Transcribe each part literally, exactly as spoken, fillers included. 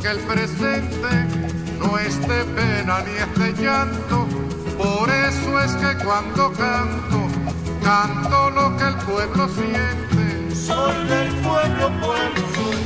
que el presente no es de pena ni es de llanto. Por eso es que cuando canto, canto lo que el pueblo siente. Soy del pueblo, pueblo soy.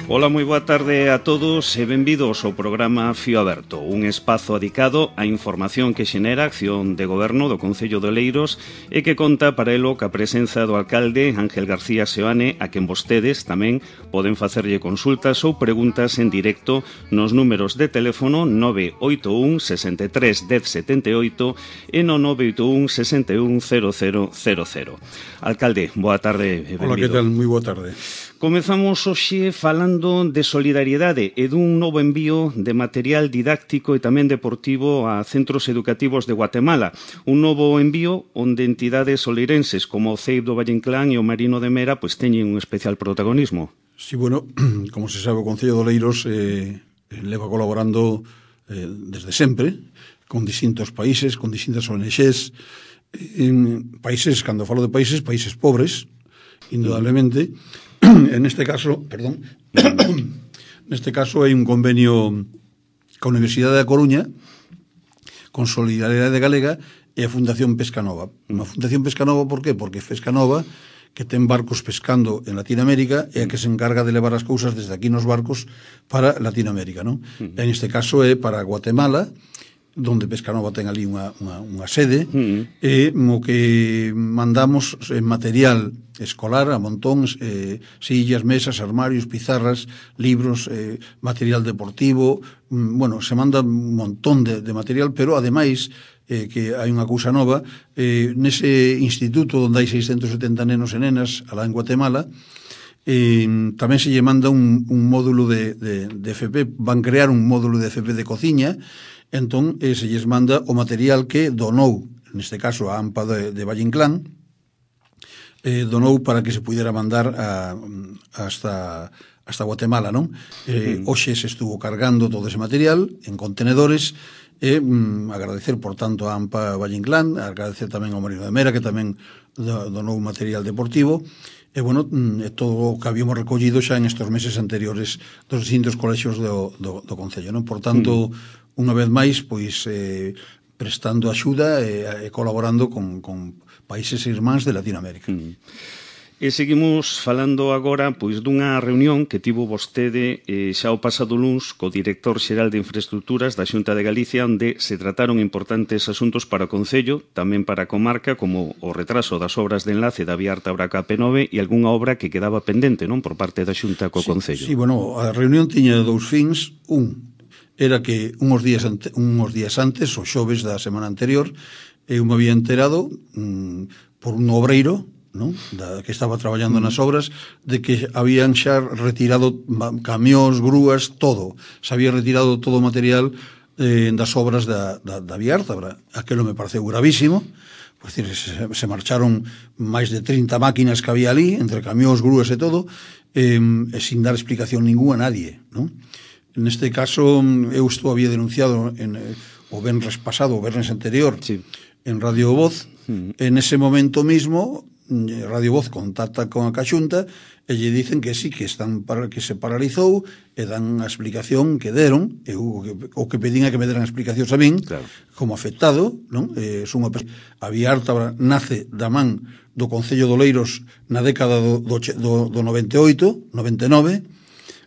Ola, moi boa tarde a todos e benvidos ao programa Fío Aberto, un espazo dedicado á información que xenera a acción de goberno do Concello de Oleiros e que conta para elo ca presenza do alcalde Ángel García Seoane, a quen vostedes tamén poden facerlle consultas ou preguntas en directo nos números de teléfono nove oito un, sesenta e tres, dez, setenta e oito e no nove oito un, sesenta e un, cero cero cero cero. Alcalde, boa tarde e benvido. Hola, que tal? Moi boa tarde. Comezamos hoxe falando de solidariedade e dun novo envío de material didáctico e tamén deportivo a centros educativos de Guatemala. Un novo envío onde entidades oleirenses como o C E I P do Valle Inclán e o Marino de Mera pois teñen un especial protagonismo. Sí, bueno, como se sabe, o Concello de Oleiros eh, leva colaborando eh, desde sempre con distintos países, con distintas O N Gs, en países, cando falo de países, países pobres, indudablemente. En este caso, perdón, neste caso hai un convenio ca Universidade da Coruña con Solidaridade Galega e a Fundación Pescanova. Unha Fundación Pescanova, por qué? Porque Pescanova, que ten barcos pescando en Latinoamérica, é a que se encarga de levar as cousas desde aquí nos barcos para Latinoamérica, non? Uh-huh. En este caso é para Guatemala, donde Pescanova ten ali unha, unha, unha sede, uh-huh. e o que mandamos en material escolar a montóns, eh, sillas, mesas, armarios, pizarras, libros, eh, material deportivo, mm, bueno, se manda un montón de, de material, pero ademais eh, que hai unha cousa nova, eh, nese instituto onde hai seiscentos setenta nenos e nenas alá en Guatemala, eh, tamén se lle manda un, un módulo de, de, de F P, van crear un módulo de F P de cociña. Entón, eh, se lles manda o material que donou, neste caso a AMPA de, de Valle Inclán, eh, donou para que se pudera mandar a, hasta, hasta Guatemala, non? Eh, uh-huh. Hoxe se estuvo cargando todo ese material en contenedores e mm, agradecer, por tanto, a AMPA Valle Inclán, agradecer tamén ao Marino de Mera, que tamén donou material deportivo. E, bueno, é todo o que habíamos recollido xa en estes meses anteriores dos distintos colexios do, do, do Concello, non? Por tanto, uh-huh. unha vez máis, pois, eh, prestando axuda e, e colaborando con, con países irmáns de Latinoamérica. Mm. E seguimos falando agora pois dunha reunión que tivo vostede eh, xa o pasado luns co director xeral de Infraestructuras da Xunta de Galicia, onde se trataron importantes asuntos para o Concello, tamén para a comarca, como o retraso das obras de enlace da Vía Artabra K P nove e algunha obra que quedaba pendente, non, por parte da Xunta co sí, Concello. Sí, bueno, a reunión tiña dous fins. Un era que unhos días, ante, unhos días antes, o xoves da semana anterior, eu me había enterado mm, por un obreiro, non? Da, que estaba traballando nas obras, de que habían xa retirado camións, grúas, todo. Se había retirado todo o material eh, das obras da, da, da Vía Ártabra. Aquelo me pareceu gravísimo. Por decir, se, se marcharon máis de trinta máquinas que había ali, entre camións, grúas e todo, eh, e sin dar explicación ninguna a nadie, non? Neste caso, eu estou había denunciado en, eh, o venres pasado, o venres anterior, sí, en Radio Voz. Mm. En ese momento mismo, Radio Voz contacta con a Caxunta e lle dicen que sí, que están para, que se paralizou, e dan a explicación que deron, e o que, o que pedín a que me deran explicacións a min, claro, como afectado, non? Eh, son unha, a Vía Ártabra nace da man do Concello de Oleiros na década do, do, do, do noventa e oito, noventa e nove,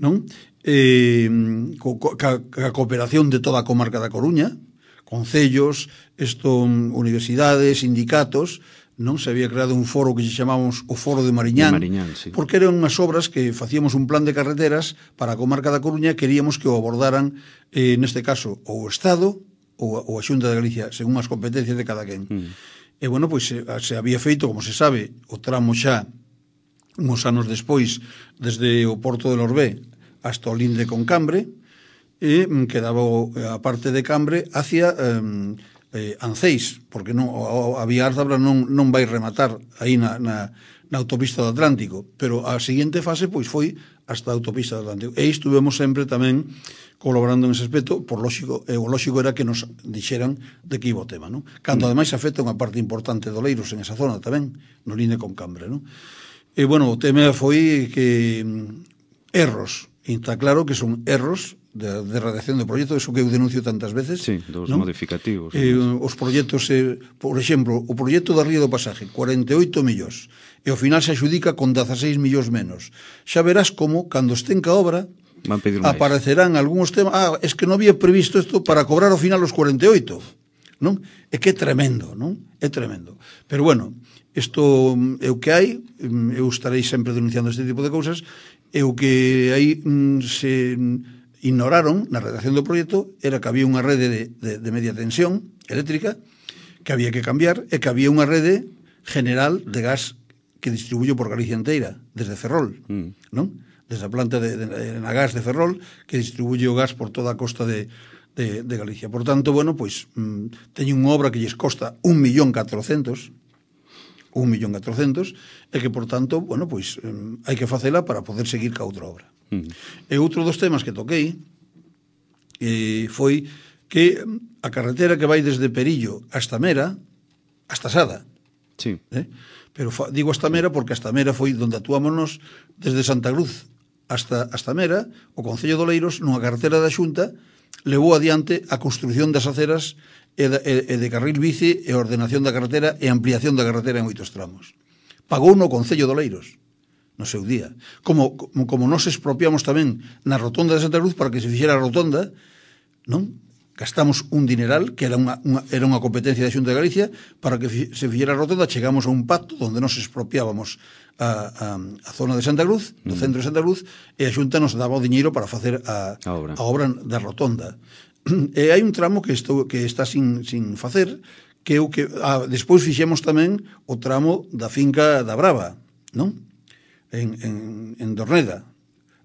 non? Eh, co, co, ca, ca cooperación de toda a comarca da Coruña, concellos, esto, universidades, sindicatos, non se había creado un foro que se chamábamos o Foro de Mariñán, de Mariñán, sí, porque eran unhas obras que facíamos un plan de carreteras para a comarca da Coruña, queríamos que o abordaran, eh, neste caso, o Estado ou, ou a Xunta de Galicia, según as competencias de cada quen. Mm. E, bueno, pois se, se había feito, como se sabe, o tramo xa uns anos despois, desde o Porto de Lorbé hasta o Linde con Cambre, e quedaba a parte de Cambre hacia eh, eh, Anceis, porque non, a, a Vía Ártabra non, non vai rematar aí na, na, na autopista do Atlántico, pero a seguinte fase pois foi hasta a autopista do Atlántico. E estuvemos sempre tamén colaborando en ese aspecto, por lógico, e o lógico era que nos dixeran de que iba o tema, non? Cando ademais afecta unha parte importante do Oleiros en esa zona tamén, no Linde con Cambre, non? E, bueno, o tema foi que erros, e está claro que son erros de, de redacción do proxecto, eso que eu denuncio tantas veces. Sí, dos non? modificativos. Eh, os proxectos, eh, por exemplo, o proxecto da Ría do Pasaje, cuarenta e oito millóns, e ao final se adxudica con dezaseis millóns menos. Xa verás como, cando estén ca obra, van pedir máis. Aparecerán algúns temas, ah, es que non había previsto isto para cobrar ao final os cuarenta e oito, non? É que é tremendo, non? É tremendo. Pero bueno, isto é o que hai, eu estarei sempre denunciando este tipo de cousas, é o que aí se ignoraron na redacción do proxecto era que había unha rede de, de, de media tensión eléctrica que había que cambiar e que había unha rede general de gas que distribuyo por Galicia inteira, desde Ferrol, mm. non? Desde a planta de, de, de, na gas de Ferrol, que distribuye o gas por toda a costa de, de, de Galicia. Por tanto, bueno, pois, mm, teñen unha obra que lles costa un millón catrocentos, un millón catrocentos, e que, por tanto, bueno, pois, mm, hai que facela para poder seguir ca outra obra. Mm. E outro dos temas que toquei eh, foi que a carretera que vai desde Perillo hasta Mera, hasta Sada, sí. eh? Pero fa, digo hasta Mera porque hasta Mera foi donde actuámonos desde Santa Cruz hasta, hasta Mera, o Concello de Oleiros, nunha carretera da Xunta, levou adiante a construción das aceras e de, e de carril bici e ordenación da carretera e ampliación da carretera en oitos tramos. Pagou no Concello de Oleiros no seu día. Como, como, como nos expropiamos tamén na rotonda de Santa Cruz para que se fixera a rotonda, non? Gastamos un dineral, que era unha, unha, era unha competencia da Xunta de Galicia, para que se fixera a rotonda, chegamos a un pacto onde nos expropiábamos a, a, a zona de Santa Cruz, do centro de Santa Cruz, e a Xunta nos daba o diñeiro para facer a, a, obra. a obra da rotonda. E hai un tramo que, estou, que está sin, sin facer, que o que ah, despois fixemos tamén o tramo da finca da Brava, non? En, en, en Dorneda,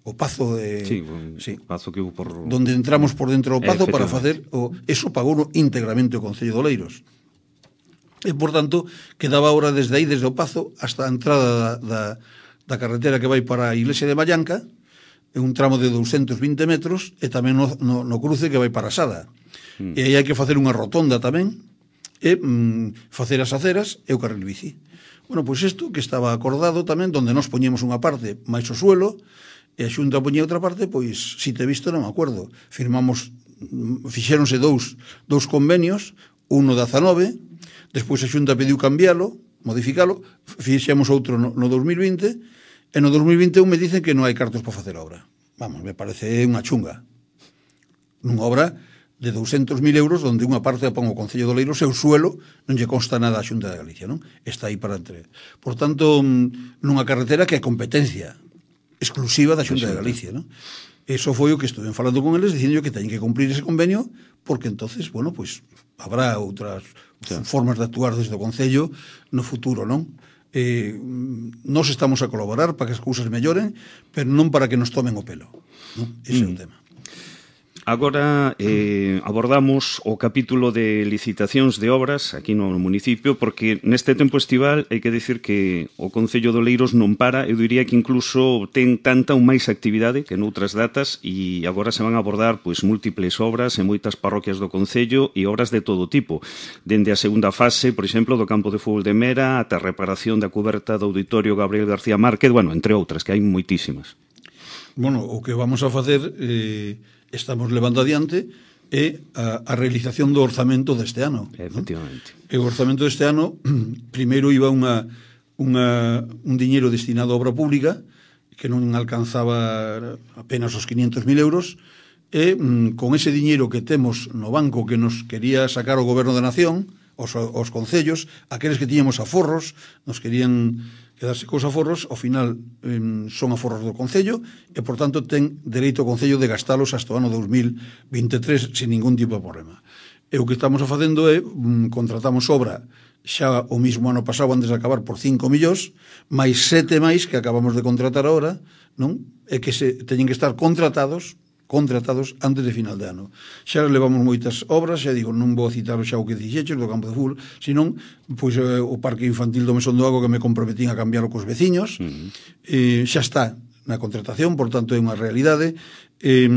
o pazo de... Sí, o sí, pazo que hubo por... Donde entramos por dentro do pazo para facer... O, eso pagou íntegramente o Concello de Oleiros. E, por tanto, quedaba ahora desde aí, desde o pazo, hasta a entrada da, da, da carretera que vai para a Iglesia de Mallanca, é un tramo de doscientos vinte metros, e tamén no, no, no cruce que vai para Sada. Mm. E aí hai que facer unha rotonda tamén, e mm, facer as aceras e o carril bici. Bueno, pois isto que estaba acordado tamén, donde nos poñemos unha parte máis o suelo, e a Xunta poñía outra parte, pois, si te visto, non me acordo. Firmamos, fixéronse dous, dous convenios, uno da dezanove, despois a Xunta pediu cambiálo, modificalo, fixemos outro no, no dos mil vinte, e no dos mil vinte e un me dicen que non hai cartos para facer obra. Vamos, me parece unha chunga. Nunha obra de doscientos mil euros, onde unha parte a pon o Concello de Oleiros e o suelo non lle consta nada a Xunta de Galicia, non? Está aí para entre. Por tanto, nunha carretera que é competencia exclusiva da Xunta de Galicia, non? Eso foi o que estuve falando con eles, dicindo que teñen que cumprir ese convenio, porque entonces, bueno, pues habrá outras sí. formas de actuar desde o Concello no futuro, non? Eh, nos estamos a colaborar para que as cousas melloren, pero non para que nos tomen o pelo, non? Ese mm. é o tema. Agora eh, abordamos o capítulo de licitacións de obras aquí no municipio, porque neste tempo estival hai que dicir que o Concello de Oleiros non para, eu diría que incluso ten tanta ou máis actividade que noutras datas, e agora se van a abordar pois múltiples obras en moitas parroquias do Concello e obras de todo tipo, dende a segunda fase, por exemplo, do campo de fútbol de Mera ata a reparación da cuberta do Auditorio Gabriel García Márquez, bueno, entre outras, que hai moitísimas. Bueno, o que vamos a facer... Eh... estamos levando adiante é a, a realización do orzamento deste ano. Efectivamente. ¿no? E o orzamento deste ano, primeiro iba unha, unha, un diñeiro destinado a obra pública que non alcanzaba apenas os quinhentos mil euros, e mm, con ese diñeiro que temos no banco que nos quería sacar o Goberno da Nación, os, os concellos, aqueles que tiñamos aforros, nos querían quedarse cos aforros, ao final eh, son aforros do Concello, e, por tanto, ten dereito o Concello de gastalos hasta o ano dos mil veintitrés sin ningún tipo de problema. E o que estamos facendo é, mm, contratamos obra xa o mismo ano pasado, antes de acabar, por cinco millóns, máis sete máis que acabamos de contratar ahora, non? E que se teñen que estar contratados contratados antes de final de ano. Xa levamos moitas obras, xa digo, non vou citar xa o que dixeches do campo de fútbol, senón pois, eh, o parque infantil do Mesón do Lago, que me comprometín a cambiar cos veciños, uh-huh. eh, xa está na contratación, por tanto é unha realidade. Eh,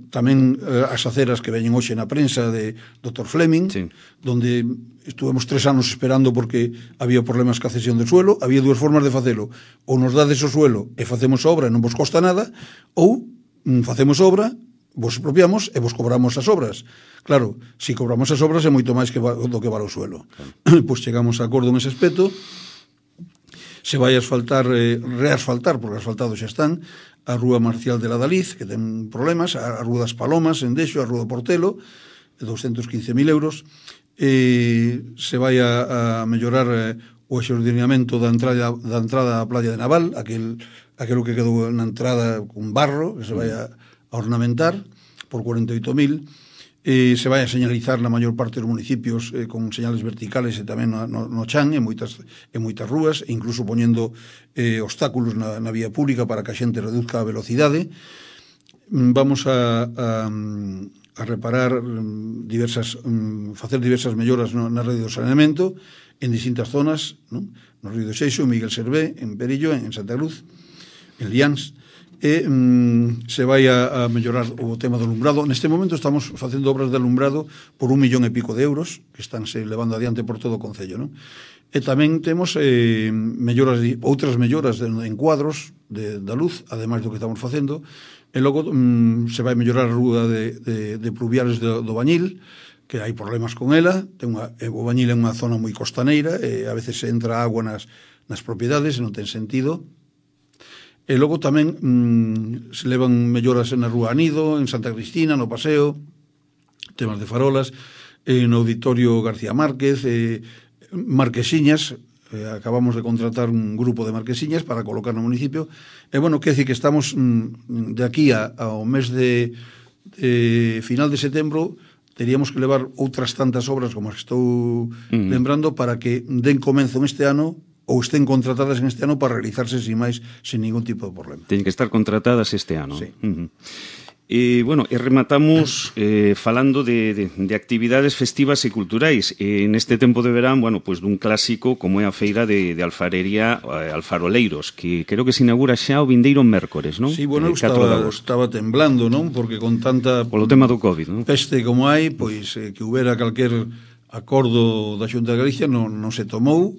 tamén eh, as aceras que veñen hoxe na prensa de doutor Fleming, sí. donde estuvemos tres anos esperando porque había problemas ca cesión de suelo. Había dúas formas de facelo: ou nos dades o suelo e facemos a obra e non vos costa nada, ou facemos obra, vos expropiamos e vos cobramos as obras. Claro, se si cobramos as obras é moito máis que va, do que vale o suelo. Claro. Pois chegamos a acordo en ese aspecto, se vai asfaltar, eh, reasfaltar, porque asfaltados xa están, a Rúa Marcial de la Daliz, que ten problemas, a Rúa das Palomas, en Deixo, a Rúa do Portelo, doscientos quince mil euros, eh, se vai a, a mellorar eh, o exordenamento da entrada, da entrada á playa de Naval, aquel, aquelo que quedou na entrada con barro, que se vai a a ornamentar por cuarenta e oito mil, eh, se vai a señalizar na maior parte dos municipios eh, con señales verticales e tamén no, no, no chan, en moitas, en moitas rúas, e incluso poñendo eh, obstáculos na, na vía pública para que a xente reduzca a velocidade. Vamos a, a, a reparar diversas, facer diversas melloras no, na rede do saneamento en distintas zonas, non? No Río de Xeixo, en Miguel Servé, en Perillo, en Santa Cruz, en Liáns, e mm, se vai a, a mellorar o tema do alumbrado. Neste momento estamos facendo obras de alumbrado por un millón e pico de euros que están se levando adiante por todo o Concello, non? E tamén temos eh, melloras, outras melloras de, en cuadros de, da luz, ademais do que estamos facendo, e logo mm, se vai mellorar a rúa de, de, de pluviales do, do Bañil, que hai problemas con ela. Ten unha, o Bañil é unha zona moi costaneira e a veces entra agua nas, nas propiedades e non ten sentido. E logo tamén mmm, se levan melloras na Rúa Anido, en Santa Cristina, no Paseo, temas de farolas, eh, no Auditorio García Márquez, eh, marquesiñas, eh, acabamos de contratar un grupo de marquesiñas para colocar no municipio, e bueno, quer decir que estamos mmm, de aquí a, ao mes de, de final de setembro, teríamos que levar outras tantas obras como as que estou mm. lembrando para que den comenzo este ano ou estén contratadas en este ano para realizarse sin máis, sin ningún tipo de problema. Teñen que estar contratadas este ano. Sí. Uh-huh. E, bueno, e rematamos eh, falando de, de, de actividades festivas e culturais. E neste tempo de verán, bueno, pues dun clásico como é a feira de, de alfarería eh, Alfaroleiros, que creo que se inaugura xa o vindeiro mércores, non? Sí, bueno, eh, estaba, estaba temblando, non? Porque con tanta... Polo tema do COVID, non? Peste como hai, pois eh, que houbera calquer acordo da Xunta de Galicia non, non se tomou.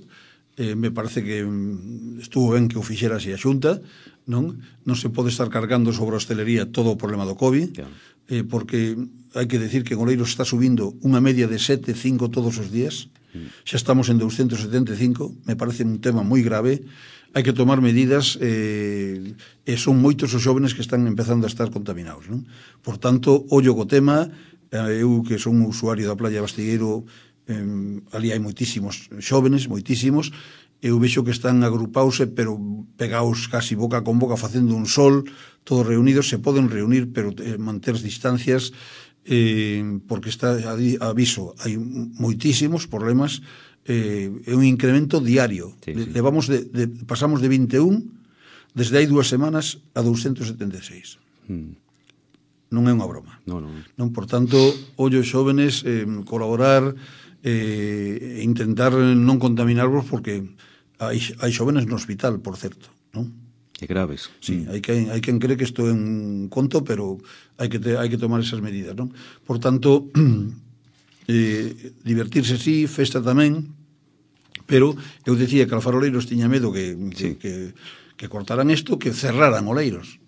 Eh, me parece que estuvo ben que o fixera así a Xunta, non? Non se pode estar cargando sobre a hostelería todo o problema do COVID, yeah. eh, porque hai que decir que en Oleiros está subindo unha media de sete, cinco todos os días, mm. xa estamos en doscientos setenta e cinco, me parece un tema moi grave, hai que tomar medidas, eh, e son moitos os xóvenes que están empezando a estar contaminados, non? Por tanto, ollo co tema, eh, eu que son un usuario da playa Bastigueiro, Eh, ali hai moitísimos xóvenes, moitísimos, eu vexo que están agrupaose, pero pegaos casi boca con boca, facendo un sol, todos reunidos, se poden reunir, pero eh, manter distancias, eh, porque está, aviso, hai moitísimos problemas, eh, é un incremento diario. Sí, sí. Levamos de, de, pasamos de vinte e un, desde hai dúas semanas, a doscientos setenta e seis. Hmm. Non é unha broma. No, no. Non, por tanto, ollo xóvenes, eh, colaborar, eh, intentar non contaminarvos, porque hai, hai xóvenes no hospital, por certo, non? Que graves. Sí, mm. hai, quen, hai quen cree que isto é un conto, pero hai que, te, hai que tomar esas medidas, non? Por tanto, eh, divertirse sí, festa tamén, pero eu decía que Alfaroleiros tiña medo que, sí. que, que, que cortaran isto, que cerraran Oleiros.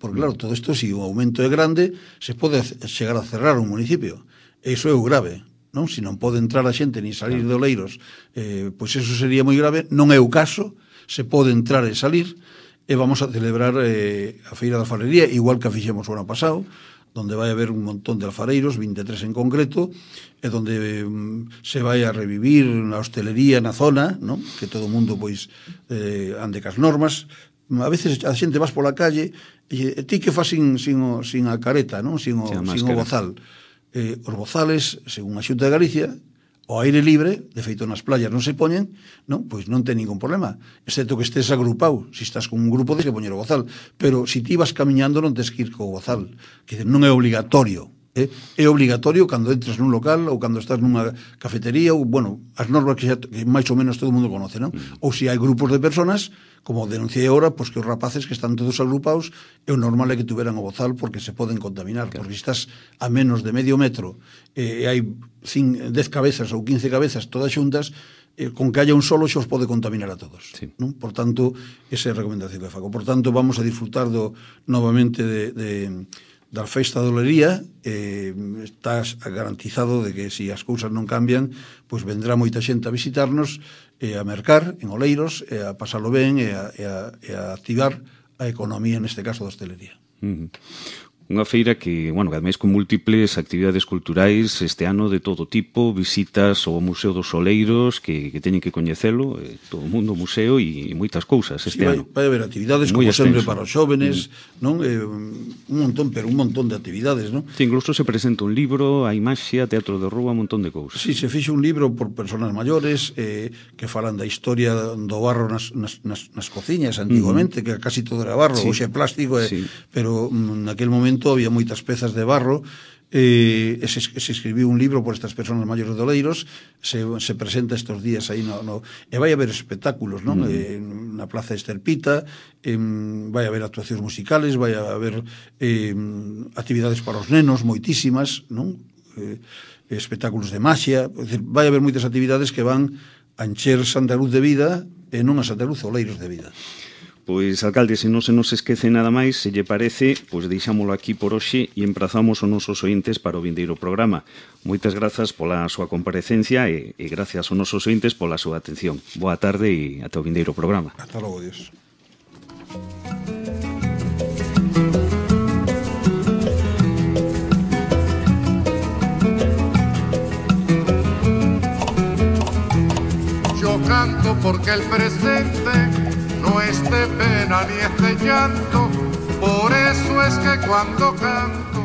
Porque claro, todo isto, se si o aumento é grande, se pode chegar a cerrar un municipio. E iso é o grave, non? Se non pode entrar a xente ni salir de Oleiros, eh, pois eso sería moi grave. Non é o caso, se pode entrar e salir, e vamos a celebrar eh, a Feira da Alfarería, igual que a fixemos o ano pasado, donde vai haber un montón de alfareiros, vinte e tres en concreto, e donde mm, se vai a revivir a hostelería na zona, non? Que todo o mundo pois eh, ande cas normas. A veces a xente vas pola calle e ti que faz sin, sin, o, sin a careta, non? Sin o, sin o bozal. Eh, os bozales, según a Xunta de Galicia, o aire libre, de feito nas playas non se poñen, non? Pois non ten ningún problema, excepto que estés agrupado. Se estás con un grupo, tens que poñer o bozal, pero se ti vas camiñando non tens que ir co bozal, que non é obligatorio. Eh? É obligatorio cando entres nun local ou cando estás nunha cafetería, ou, bueno, as normas que, xa, que máis ou menos todo o mundo conoce, non? Mm. Ou se hai grupos de personas, como denunciei agora, pois que os rapaces que están todos agrupados, é o normal é que tuveran o bozal, porque se poden contaminar, claro. Porque se estás a menos de medio metro e eh, hai dez cabezas ou quince cabezas todas xuntas, eh, con que haya un solo xos pode contaminar a todos, sí. Non? Por tanto, esa é a recomendación que fago. Por tanto, vamos a disfrutar do, novamente de, de da festa da olería, eh, estás garantizado de que se si as cousas non cambian, pois vendrá moita xente a visitarnos e a mercar en Oleiros, e a pasalo ben e a, e a, e a activar a economía, neste caso da hostelería. Uh-huh. Unha feira que, bueno, ademais con múltiples actividades culturais este ano de todo tipo, visitas ao Museo dos Oleiros que, que teñen que coñecelo, eh, todo o mundo museo e, e moitas cousas este sí, vai, ano. Vai haber actividades, Muy como extenso. sempre, para os xóvenes, mm. non? Eh, un montón, pero un montón de actividades, non? Sí, incluso se presenta un libro, hai maxia, teatro de rúa, un montón de cousas. Sí, se fixe un libro por persoas maiores eh, que falan da historia do barro nas, nas, nas, nas cociñas antigamente, uh-huh. que casi todo era barro, sí. Hoxe é plástico, eh, sí. Pero mm, naquel momento había moitas pezas de barro, eh, e se, se escribiu un libro por estas persoas maiores de Oleiros, se, se presenta estes días aí no, no, e vai haber espectáculos, non? Mm. Eh, na Plaza Estelpita, eh, vai haber actuacións musicales, vai haber eh, actividades para os nenos moitísimas, non? Eh, espectáculos de maxia, vai haber moitas actividades que van a encher Santa Cruz de vida e non a Santa Cruz Oleiros de vida. Pois, alcalde, se non se nos esquece nada máis, se lle parece, pois deixámolo aquí por hoxe e emprazamos os nosos ointes para o vindeiro programa. Moitas grazas pola súa comparecencia e, e gracias aos nosos ointes pola súa atención. Boa tarde e ata o vindeiro programa. Hasta logo, Dios. Yo canto porque el presente no es de pena ni es de llanto, por eso es que cuando canto